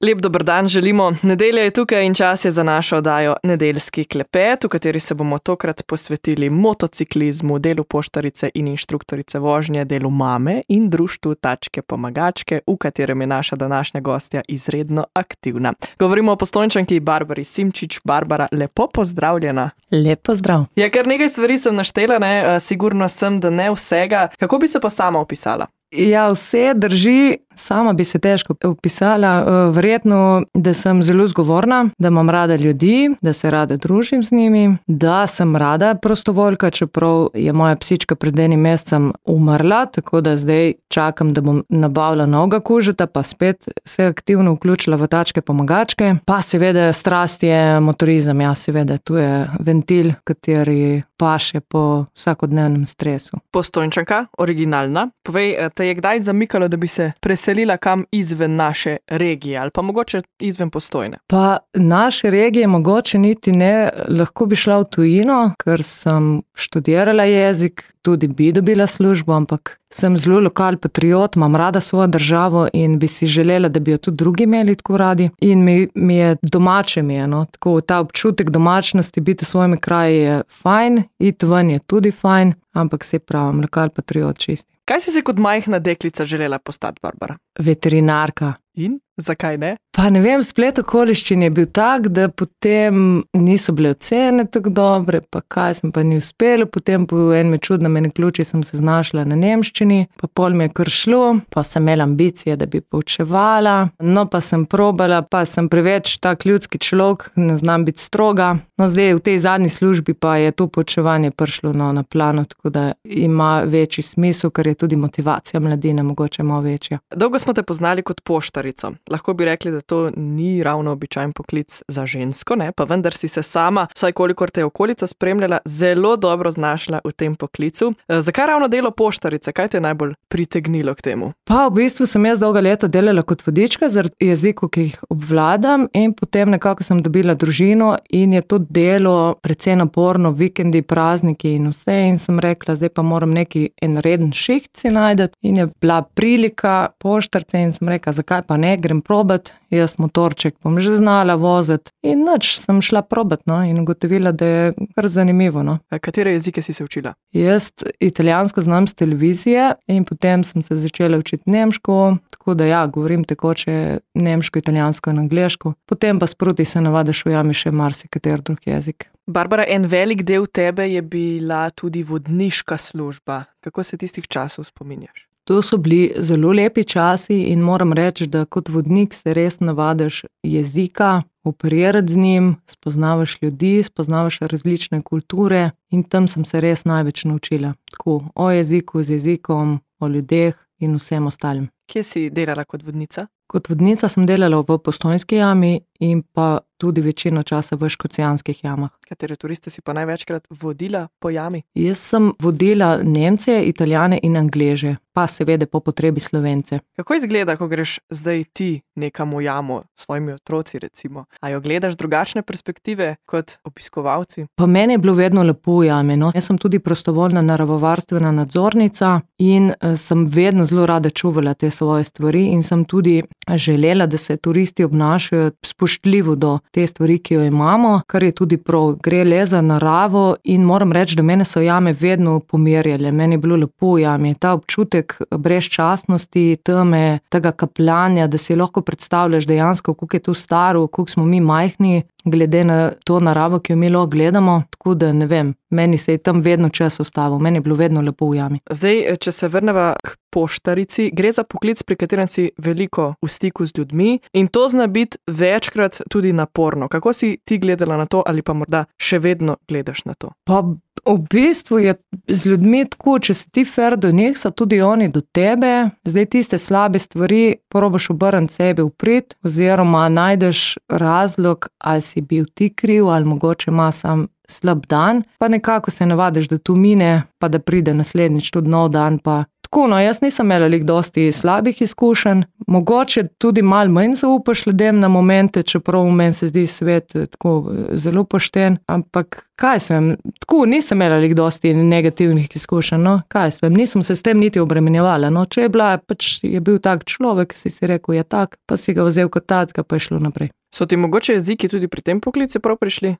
Lep dober dan želimo. Nedelja je tukaj in čas je za našo oddajo Nedeljski klepet, v kateri se bomo tokrat posvetili motociklizmu, delu poštarice in inštruktorice vožnje, delu mame in društvu Tačke pomagačke, v katerem je naša današnja gostja izredno aktivna. Govorimo o Postojnčanki Barbari Simčič. Barbara, lepo pozdravljena. Lep pozdrav. Ja, kar nekaj stvari sem naštela, sigurno sem, da ne vsega. Kako bi se pa sama opisala? Ja, vse drži, sama bi se težko opisala, verjetno, da sem zelo zgovorna, da imam rada ljudi, da se rada družim z njimi, da sem rada prostovoljka, čeprav je moja psička pred enim mesecem umrla, tako da zdaj čakam, da bom nabavila novega kužeta, pa spet se aktivno vključila v Tačke pomagačke. Pa seveda strast je motorizem, ja, seveda, tu je ventil, kateri paše po vsakodnevnem stresu. Postojnčanka, originalna. Povej, te je kdaj zamikalo, da bi se preselila kam izven naše regije ali pa mogoče izven Postojne? Pa naše regije mogoče niti ne, lahko bi šla v tujino, ker sem študirala jezik, tudi bi dobila službo, ampak sem zelo lokal patriot, imam rada svojo državo in bi si želela, da bi jo tudi drugi imeli tako radi. In mi je domače no. Tako ta občutek domačnosti, biti v svojem kraju je fajn, iti ven je tudi fajn, ampak se pravim, lokal patriot čisti. Kaj si se kot majhna deklica želela postati, Barbara? Veterinarka. In zakaj ne? Pa ne vem, splet okoliščin je bil tak, da potem niso bile ocene tako dobre, pa kaj sem pa ni uspelo, potem po enem čudnem ključi sem se znašla na nemščini, pa pol mi je kar šlo, pa sem imela ambicije, da bi poučevala, no pa sem probala, pa sem preveč tak ljudski človek, ne znam biti stroga, no zdaj v tej zadnji službi pa je to poučevanje prišlo na plano, tako da ima večji smisel, ker je tudi motivacija mladine mogoče malo večja. Dolgo smo te poznali kot poštarico. Lahko bi rekli, da to ni ravno običajen poklic za žensko, ne? Pa vendar si se sama, vsaj kolikor te je okolica spremljala, zelo dobro znašla v tem poklicu. Zakaj ravno delo poštarice? Kaj te je najbolj pritegnilo k temu? Pa v bistvu sem jaz dolga leta delala kot vodička zaradi jezikov, ki jih obvladam, in potem nekako sem dobila družino in je to delo precej naporno, vikendi, prazniki in vse, in sem rekla, zdaj pa moram neki en reden šiht si najdeti, in je bila prilika poštarice in sem rekla, zakaj pa ne, grem probat, jaz motorček bom že znala voziti in nič, sem šla probat in ugotovila, da je kar zanimivo. Katere jezike si se učila? Jaz italijansko znam z televizije in potem sem se začela učiti nemško, tako da ja, govorim tekoče nemško, italijansko in angleško, potem pa sproti se navadiš ujami še marsikater drug jezik. Barbara, en velik del tebe je bila tudi vodniška služba. Kako se tistih časov spominjaš? To so bili zelo lepi časi in moram reči, da kot vodnik se res navadiš jezika, operirati z njim, spoznavaš ljudi, spoznavaš različne kulture in tam sem se res največ naučila. Tako, o jeziku, z jezikom, o ljudeh in vsem ostalim. Kje si delala kot vodnica? Kot vodnica sem delala v Postojnski jami in pa tudi večino časa v Škocjanskih jamah. Katere turiste si pa največkrat vodila po jami? Jaz sem vodila Nemce, Italijane in Angleže, pa seveda po potrebi Slovence. Kako izgleda, ko greš zdaj ti nekam v jamo s svojimi otroci recimo? A jo gledaš drugačne perspektive kot obiskovalci? Pa meni je bilo vedno lepo v jami. Jaz sem tudi prostovoljna naravovarstvena nadzornica in sem vedno zelo rada čuvala te svoje stvari in sem tudi želela, da se turisti obnašajo spoštljivo do te stvari, ki jo imamo, kar je tudi prav. Gre le za naravo in moram reči, da mene so jame vedno pomirjale. Meni je bilo lepo v jami. Ta občutek brezčasnosti, teme, tega kapljanja, da si lahko predstavljaš dejansko, koliko je to staro, koliko smo mi majhni, glede na to naravo, ki jo mi lahko gledamo. Tako da ne vem, meni se je tam vedno čas ustavil, meni je bilo vedno lepo v jami. Zdaj, če se vrneva k poštarici, gre za poklic, pri katerem si veliko v stiku z ljudmi in to zna biti večkrat tudi naporno. Kako si ti gledala na to ali pa morda še vedno gledaš na to? Pa v bistvu je z ljudmi tako, če si ti fair do njih, so tudi oni do tebe. Zdaj tiste slabe stvari probaš obrniti sebi v prid oziroma najdeš razlog, ali si bil ti kriv ali mogoče ima sam slab dan, pa nekako se navadiš, da tu mine, pa da pride naslednjič tudi nov dan, pa Tako, no, jaz nisem imela lih dosti slabih izkušenj, mogoče tudi malo manj zaupaš ljudem na momente, čeprav meni se zdi svet tako zelo pošten, ampak kaj svem, tako nisem imela lih dosti negativnih izkušenj, no, kaj svem, nisem se s tem niti obremenjevala, no, če je bila, pač je bil tak človek, si rekel, je tak, pa si ga vzel kot takega, pa je šlo naprej. So ti mogoče jeziki tudi pri tem poklicu prav prišli?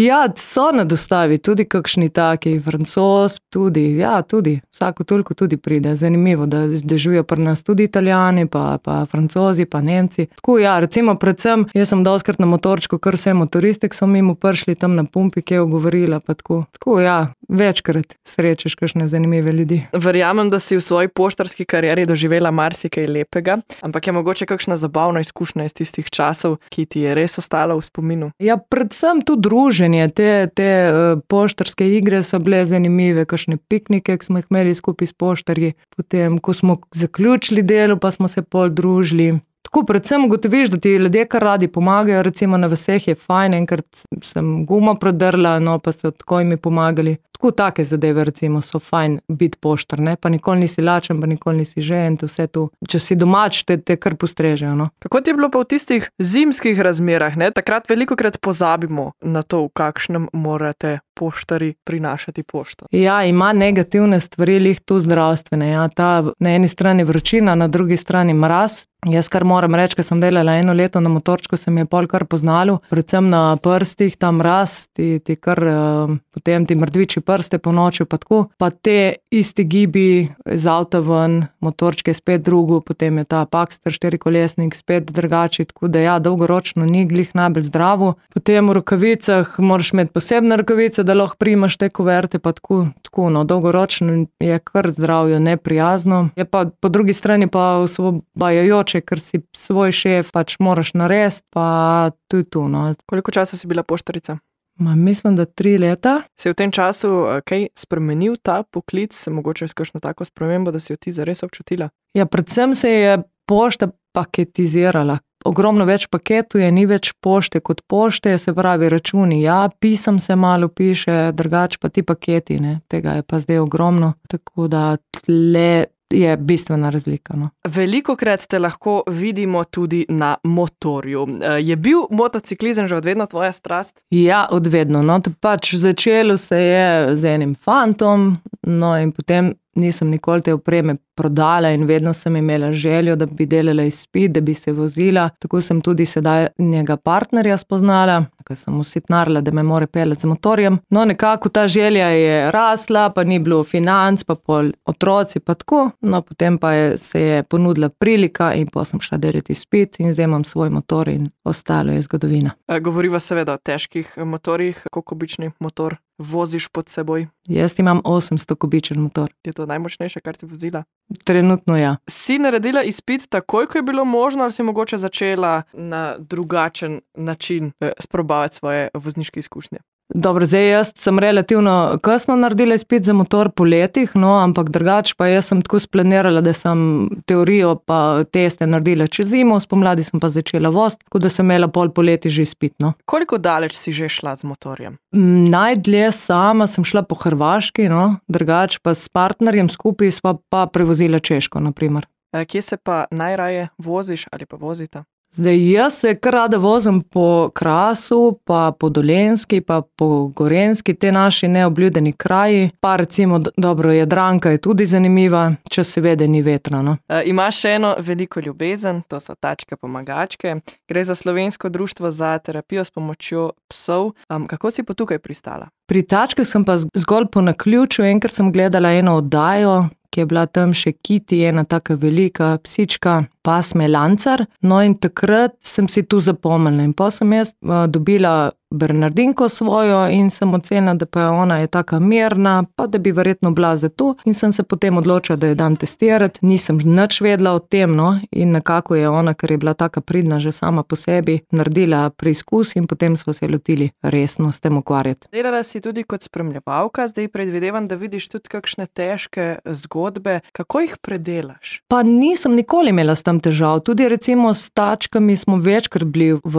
Ja, so na dostavi, tudi kakšni taki, Francoz, tudi, ja, tudi, vsako toliko tudi pride. Zanimivo, da živijo pri nas tudi Italijani, pa Francozi, pa Nemci. Tako, ja, recimo predvsem, jaz sem dostikrat na motorčku, kar vse motoristik so mimo prišli tam na pumpi, ki je govorila, pa tako. Tako, ja, večkrat srečeš kakšne zanimive ljudi. Verjamem, da si v svoji poštarski karieri doživela marsikaj lepega, ampak je mogoče kakšna zabavna izkušnja iz tistih časov, ki ti je res ostala v spominu? Ja, predvsem tu druženje, te poštarske igre so bile zanimive, kakšne piknike, ki smo jih imeli skupaj s poštarji, potem, ko smo zaključili delo, pa smo se pol družili. Tako, predvsem ugotoviš, da ti ljudje kar radi pomagajo, recimo na vseh je fajn, enkrat sem gumo prodrla, no, pa so tako mi pomagali. Tako, take zadeve, recimo, so fajn biti poštar, ne, pa nikoli nisi lačen, pa nikoli nisi žejen, to vse tu. Če si domač, te kar postrežejo, no. Kako ti je bilo pa v tistih zimskih razmerah, ne? Takrat velikokrat pozabimo na to, v kakšnem morate poštari prinašati pošto. Ja, ima negativne stvari, lih tu zdravstvene, ja, ta na eni strani vročina, na drugi strani mraz. Jaz kar moram reči, ker sem delala 1 leto na motorčku, se mi je pol kar poznalo, predvsem na prstih, ta mraz, ti kar, potem ti mrtviči prste po noči, pa tako, pa te isti gibi iz avta ven, motorčke spet drugo, potem je ta Paxter 4-kolesnik spet drugači, tako da ja, dolgoročno ni glih najbolj zdravo. Potem v rokavicah moraš imeti posebne rokavice, da lahko primaš te kuverte, pa tako, no, dolgoročno je kar zdravje neprijazno. Je pa po drugi strani pa osvobajajoče, ker si svoj šef, pač moraš narediti, pa tu, no. Koliko časa si bila poštarica? Mislim, da 3 leta. Se je v tem času kaj spremenil ta poklic, mogoče s kakšno tako spremembo, da si jo ti zares občutila? Ja, predvsem se je pošta paketizirala. Ogromno več paketov je, ni več pošte kot pošte, se pravi računi, ja, pisem se malo piše, drugače pa ti paketi, ne, tega je pa zdaj ogromno, tako da tle je bistvena razlika, no. Velikokrat te lahko vidimo tudi na motorju. Je bil motociklizem že od vedno tvoja strast? Ja, od vedno, no, pač začelo se je z enim fantom, no, in potem nisem nikoli te opreme prodala in vedno sem imela željo, da bi delala izpit, da bi se vozila. Tako sem tudi sedaj njega partnerja spoznala, ker sem usitnarila, da me more peljati z motorjem. No, nekako ta želja je rasla, pa ni bilo financ, pa pol otroci, pa tako. No, potem pa se je ponudila prilika in pa sem šla delati izpit in zdaj imam svoj motor in ostalo je zgodovina. Govoriva seveda o težkih motorjih. Koliko kubični motor voziš pod seboj? Jaz imam 800 kubičen motor. Je to najmočnejše, kar si vozila? Trenutno ja. Si naredila izpit takoj, ko je bilo možno, ali si mogoče začela na drugačen način sprobavati svoje vozniške izkušnje? Dobro, zdaj jaz sem relativno kasno naredila izpit za motor po letih, no, ampak drugače pa jaz sem tako splanirala, da sem teorijo pa teste naredila čez zimo, spomladi sem pa začela voziti, tako da sem imela pol poleti že izpit, no. Koliko daleč si že šla z motorjem? Najdlje sama sem šla po Hrvaški, no, drugače pa s partnerjem skupaj sva pa prevozila Češko, na primer. Kje se pa najraje voziš ali pa vozita? Zdaj, jaz se kar rada vozim po Krasu, pa po Dolenjski, pa po Gorenjski, te naši neobljudeni kraji. Pa recimo, dobro, Jadranka je tudi zanimiva, če seveda ni vetra, no. Imaš še eno veliko ljubezen, to so tačke pomagačke. Gre za Slovensko društvo za terapijo s pomočjo psov. Kako si pa tukaj pristala? Pri tačkah sem pa zgolj po naključju, enkrat sem gledala eno oddajo, ki je bila tam še Kitty, ena taka velika psička, pasme Lancar. No, in takrat sem si tu zapomnila in pa sem jaz dobila Bernardinko svojo in sem ocenila, da pa ona je taka mirna, pa da bi verjetno bila za to in sem se potem odločila, da jo dam testirati. Nisem nič vedela o tem, no, in nekako je ona, ker je bila taka pridna že sama po sebi, naredila preizkus in potem smo se lotili resno s tem ukvarjati. Delala si tudi kot spremljevalka, zdaj predvidevam, da vidiš tudi kakšne težke zgodbe. Kako jih predelaš? Pa nisem nikoli imela s tem nimam težav. Tudi recimo s tačkami smo večkrat bili v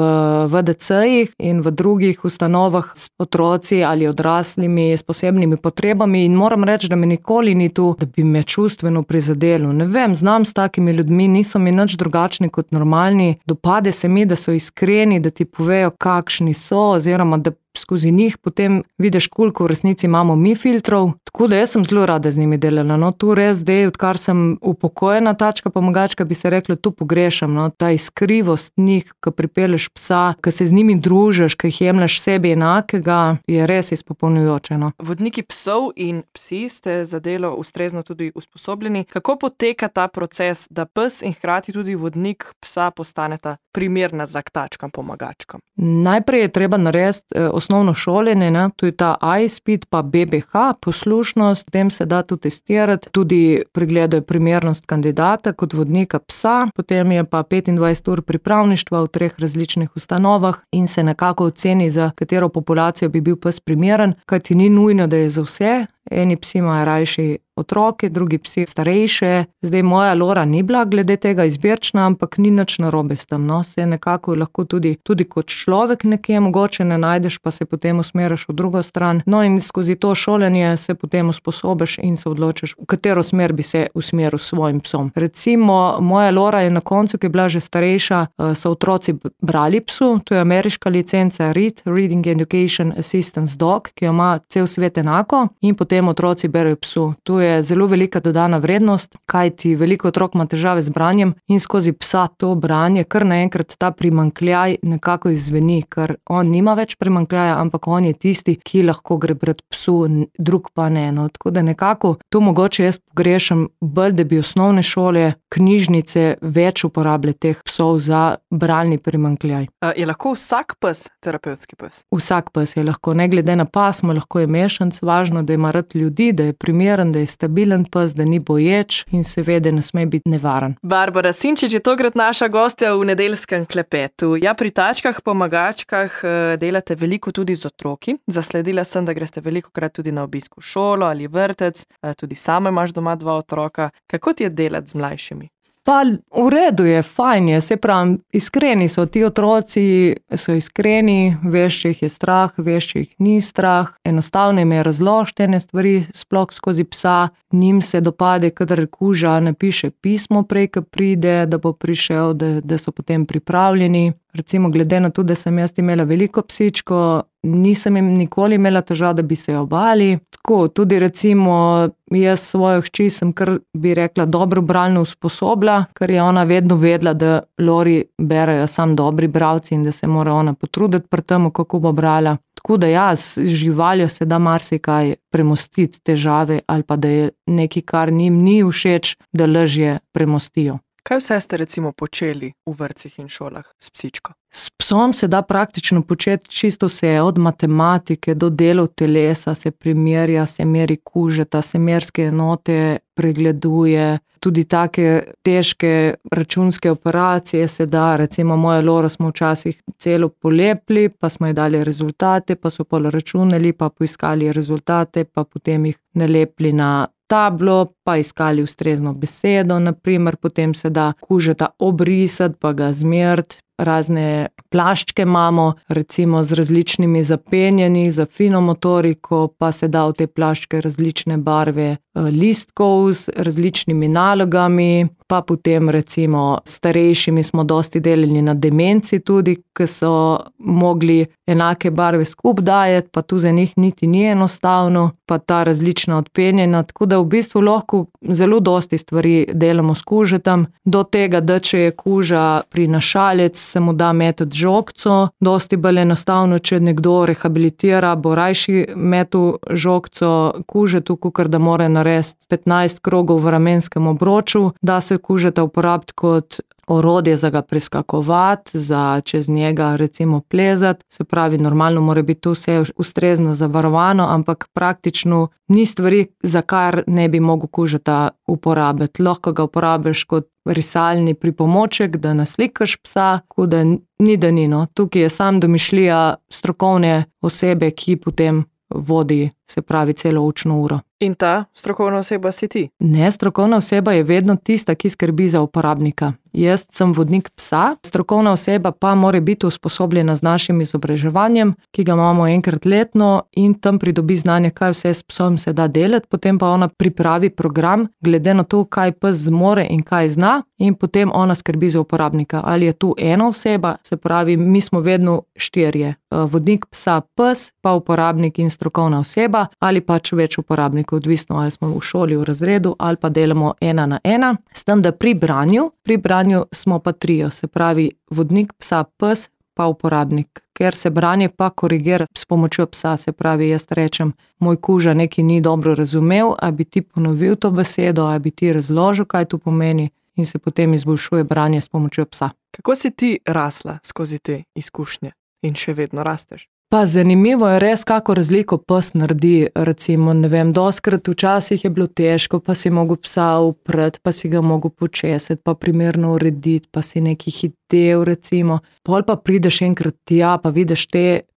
VDC-jih in v drugih ustanovah s otroci ali odraslimi s posebnimi potrebami in moram reči, da me nikoli ni tu, da bi me čustveno prizadelo. Ne vem, znam s takimi ljudmi, niso mi nič drugačni kot normalni. Dopade se mi, da so iskreni, da ti povejo, kakšni so, oziroma da skozi njih potem vidiš, koliko v resnici imamo mi filtrov. Tako da jaz sem zelo rada z njimi delala. No, tu res zdaj, odkar sem upokojena tačka pomagačka, bi se reklo, tu pogrešam. No, ta iskrivost njih, ko pripelješ psa, ko se z njimi družiš, ko jih jemlješ sebi enakega, je res izpopolnjujoče. No. Vodniki psov in psi ste za delo ustrezno tudi usposobljeni. Kako poteka ta proces, da pes in hkrati tudi vodnik psa postaneta primerna za tačkam pomagačkam? Najprej je treba narediti osnovno šolanje, ne? To je ta iSpeed pa BBH, poslušnost, potem se da tu testirati, tudi pregledajo primernost kandidata kot vodnika psa, potem je pa 25 ur pripravništva v 3 različnih ustanovah in se nekako oceni, za katero populacijo bi bil pes primeren, kajti ni nujno, da je za vse. Eni psi imajo rajši otroke, drugi psi starejše. Zdaj moja Lora ni bila glede tega izbirčna, ampak ni nič narobe s tem. No. Se nekako lahko tudi kot človek nekje mogoče ne najdeš, pa se potem usmeriš v drugo stran. No in skozi to šolanje se potem usposobiš in se odločiš, v katero smer bi se usmeril s svojim psom. Recimo moja Lora je na koncu, ki je bila že starejša, so otroci brali psu, to je ameriška licenca READ, Reading Education Assistance Dog, ki jo ima cel svet enako in potem otroci berejo psu. Tu je zelo velika dodana vrednost, kajti veliko otrok ima težave z branjem in skozi psa to branje, kar naenkrat ta primanjkljaj nekako izzveni, ker on nima več primanjkljaja, ampak on je tisti, ki lahko gre brat psu, drug pa ne. No, tako da nekako tu mogoče jaz pogrešam bolj, da bi osnovne šole, knjižnice več uporabljale teh psov za bralni primanjkljaj. Je lahko vsak pes terapevtski pes? Vsak pes je lahko, ne glede na pasmo, lahko je mešanc, važno, da ima rad ljudi, da je primeren, da je stabilen pes, da ni boječ in seveda ne sme biti nevaren. Barbara Sinčič je tokrat naša gostja v nedeljskem klepetu. Ja, pri tačkah pomagačkah delate veliko tudi z otroki. Zasledila sem, da greste velikokrat tudi na obisk v šolo ali vrtec, tudi sama imaš doma 2 otroka. Kako ti je delati z mlajšimi? Pa v redu je, fajn je, se pravi, iskreni so ti otroci, so iskreni, veš, če jih je strah, veš, če jih ni strah, enostavno jim je razložiti ene stvari, sploh skozi psa, njim se dopade, kadar kuža napiše pismo prej, ko pride, da bo prišel, da so potem pripravljeni. Recimo, glede na to, da sem jaz imela veliko psičko, nisem jim nikoli imela težav, da bi se jo bali. Tako, tudi recimo, jaz svojo hči sem kar, bi rekla, dobro bralno usposobila, ker je ona vedno vedela, da Lori berejo sam dobri bralci in da se mora ona potruditi pri tem, kako bo brala. Tako da ja, z živaljo se da marsikaj premostiti težave ali pa da je nekaj, kar njim ni všeč, da lažje premostijo. Kaj vse ste recimo počeli v vrtcih in šolah s psičko? S psom se da praktično početi čisto vse, od matematike do delov telesa, se primerja, se meri kužeta, se merske enote pregleduje, tudi take težke računske operacije se da, recimo mojo Loro smo včasih celo polepili, pa smo ji dali rezultate, pa so pol računali, pa poiskali rezultate, pa potem jih nalepili na tablo, pa iskali ustrezno besedo, naprimer, potem se da kužeta obrisati, pa ga zmeriti. Razne plaščke imamo, recimo z različnimi zapenjanji, za fino motoriko, pa se da v te plaščke različne barve listkov z različnimi nalogami, pa potem recimo starejšimi smo dosti delali na demenci tudi, ki so mogli enake barve skupaj dajati, pa tu za njih niti ni enostavno, pa ta različna odpenjena, tako da v bistvu lahko zelo dosti stvari delamo s kužetom, do tega, da če je kuža prinašalec, se mu da metati žogco, dosti bolj enostavno, če nekdo rehabilitira, bo rajši metu žogco kužetu, kakor da mora narediti 15 krogov v ramenskem obroču, da se kužeta uporabiti kot orodje za ga preskakovati, za čez njega recimo plezati, se pravi, normalno mora biti to vse ustrezno zavarovano, ampak praktično ni stvari, za kar ne bi mogel kužeta uporabiti. Lahko ga uporabiš kot risalni pripomoček, da naslikaš psa, tako da ni. Tukaj je sam domišljija strokovne osebe, ki potem vodi se pravi celo učno uro. In ta strokovna oseba si ti? Ne, strokovna oseba je vedno tista, ki skrbi za uporabnika. Jaz sem vodnik psa, strokovna oseba pa mora biti usposobljena z našim izobraževanjem, ki ga imamo enkrat letno in tam pridobi znanje, kaj vse s psom se da delati, potem pa ona pripravi program, glede na to, kaj pes zmore in kaj zna, in potem ona skrbi za uporabnika. Ali je tu ena oseba, se pravi, mi smo vedno 4. Vodnik psa, pes, pa uporabnik in strokovna oseba, ali pač več uporabnikov, odvisno ali smo v šoli, v razredu, ali pa delamo 1 na 1. S tem, da pri branju smo pa 3, se pravi vodnik psa, pes, pa uporabnik. Ker se branje pa korigira s pomočjo psa, se pravi, jaz rečem, moj kuža nekaj ni dobro razumel, a bi ti ponovil to besedo, a bi ti razložil, kaj to pomeni, in se potem izboljšuje branje s pomočjo psa. Kako si ti rasla skozi te izkušnje in še vedno rasteš? Pa zanimivo je res, kako razliko pes naredi. Recimo, ne vem, doskrat včasih je bilo težko, pa si mogel psa upreti, pa si ga mogel počesati, pa primerno urediti, pa si nekaj hitel, recimo. Pol pa prideš enkrat tja, pa vidiš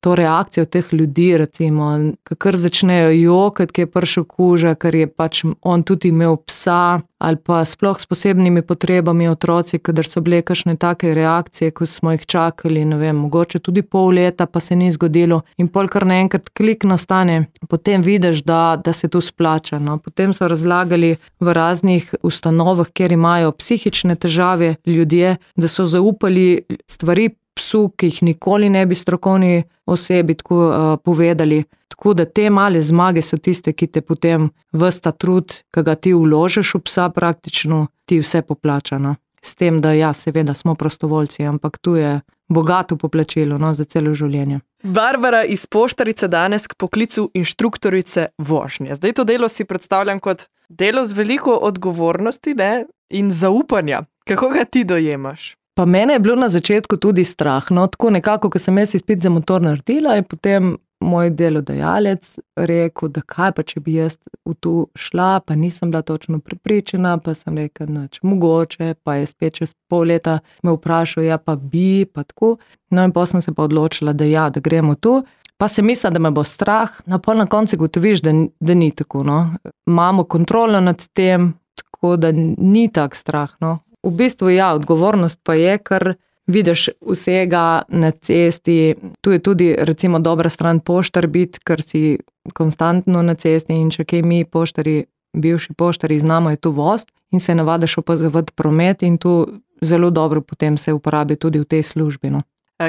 to reakcijo teh ljudi, recimo, kakor začnejo jokati, ki je prišel kuža, ker je pač on tudi imel psa, ali pa sploh s posebnimi potrebami otroci, kadar so bile kakšne take reakcije, ko smo jih čakali, ne vem, mogoče tudi pol leta, pa se ni zgodilo. In pol kar naenkrat klik nastane, potem vidiš, da se to splača. No. Potem so razlagali v raznih ustanovah, kjer imajo psihične težave ljudje, da so zaupali stvari psu, ki jih nikoli ne bi strokovni osebi tako povedali. Tako da te male zmage so tiste, ki te potem ves ta trud, ki ga ti vložiš v psa praktično, ti vse poplača. No. S tem, da ja, seveda smo prostovoljci, ampak tu je bogato poplačilo, no, za celo življenje. Barbara iz Poštarice danes k poklicu inštruktorice vožnje. Zdaj to delo si predstavljam kot delo z veliko odgovornosti, ne, in zaupanja. Kako ga ti dojemaš? Pa mene je bilo na začetku tudi strah, no, tako nekako, ko sem jaz izpit za motor naredila, je potem moj delodajalec rekel, da kaj pa, če bi jaz v to šla, pa nisem bila točno prepričana, pa sem rekel, nič mogoče, pa je spet čez pol leta me vprašal, ja pa bi, pa tako. No in potem sem se pa odločila, da ja, da gremo tu. Pa sem mislila, da me bo strah, no pol na koncu gotoviš, da ni tako, no. Imamo kontrolo nad tem, tako da ni tak strah, no. V bistvu ja, odgovornost pa je, ker vidiš vsega na cesti, tu je tudi recimo dobra stran poštar biti, ker si konstantno na cesti in če kaj mi poštari, bivši poštari znamo je tu vozt in se navadiš opazovati promet in tu zelo dobro potem se uporabi tudi v tej službi. No.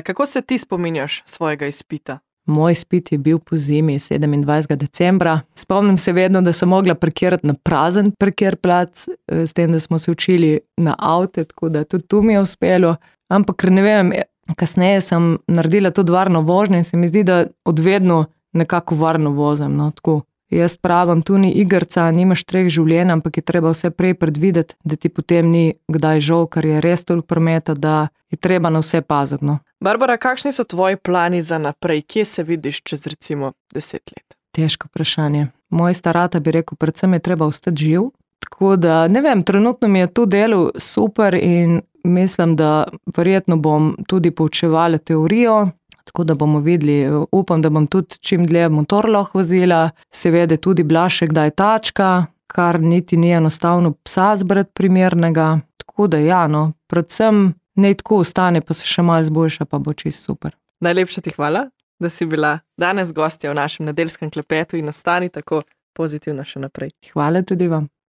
Kako se ti spominjaš svojega izpita? Moj izpit je bil po zimi 27. decembra. Spomnim se vedno, da sem mogla parkirati na prazen parkirplac, s tem, da smo se učili na avte, tako da tudi tu mi je uspelo. Ampak ne vem, kasneje sem naredila tudi varno vožnjo in se mi zdi, da odvedno nekako varno vozim. No, tako. Jaz pravim, tu ni igrca, nimaš 3 življenj, ampak je treba vse prej predvideti, da ti potem ni kdaj žal, ker je res toliko prometa, da je treba na vse paziti. No. Barbara, kakšni so tvoji plani za naprej? Kje se vidiš čez recimo 10 let? Težko vprašanje. Moj starata bi rekel, predvsem je treba ostati živ. Tako da, ne vem, trenutno mi je to delo super in mislim, da verjetno bom tudi poučevala teorijo, tako da bomo videli, upam, da bom tudi čim dlje motor lahko vozila, seveda tudi bila še kdaj tačka, kar niti ni enostavno psa zbrati primernega, tako da ja, no, predvsem ne tako ostane, pa se še malo zboljša, pa bo čisto super. Najlepša ti hvala, da si bila danes gostja v našem nedeljskem klepetu in ostani tako pozitivna še naprej. Hvala tudi vam.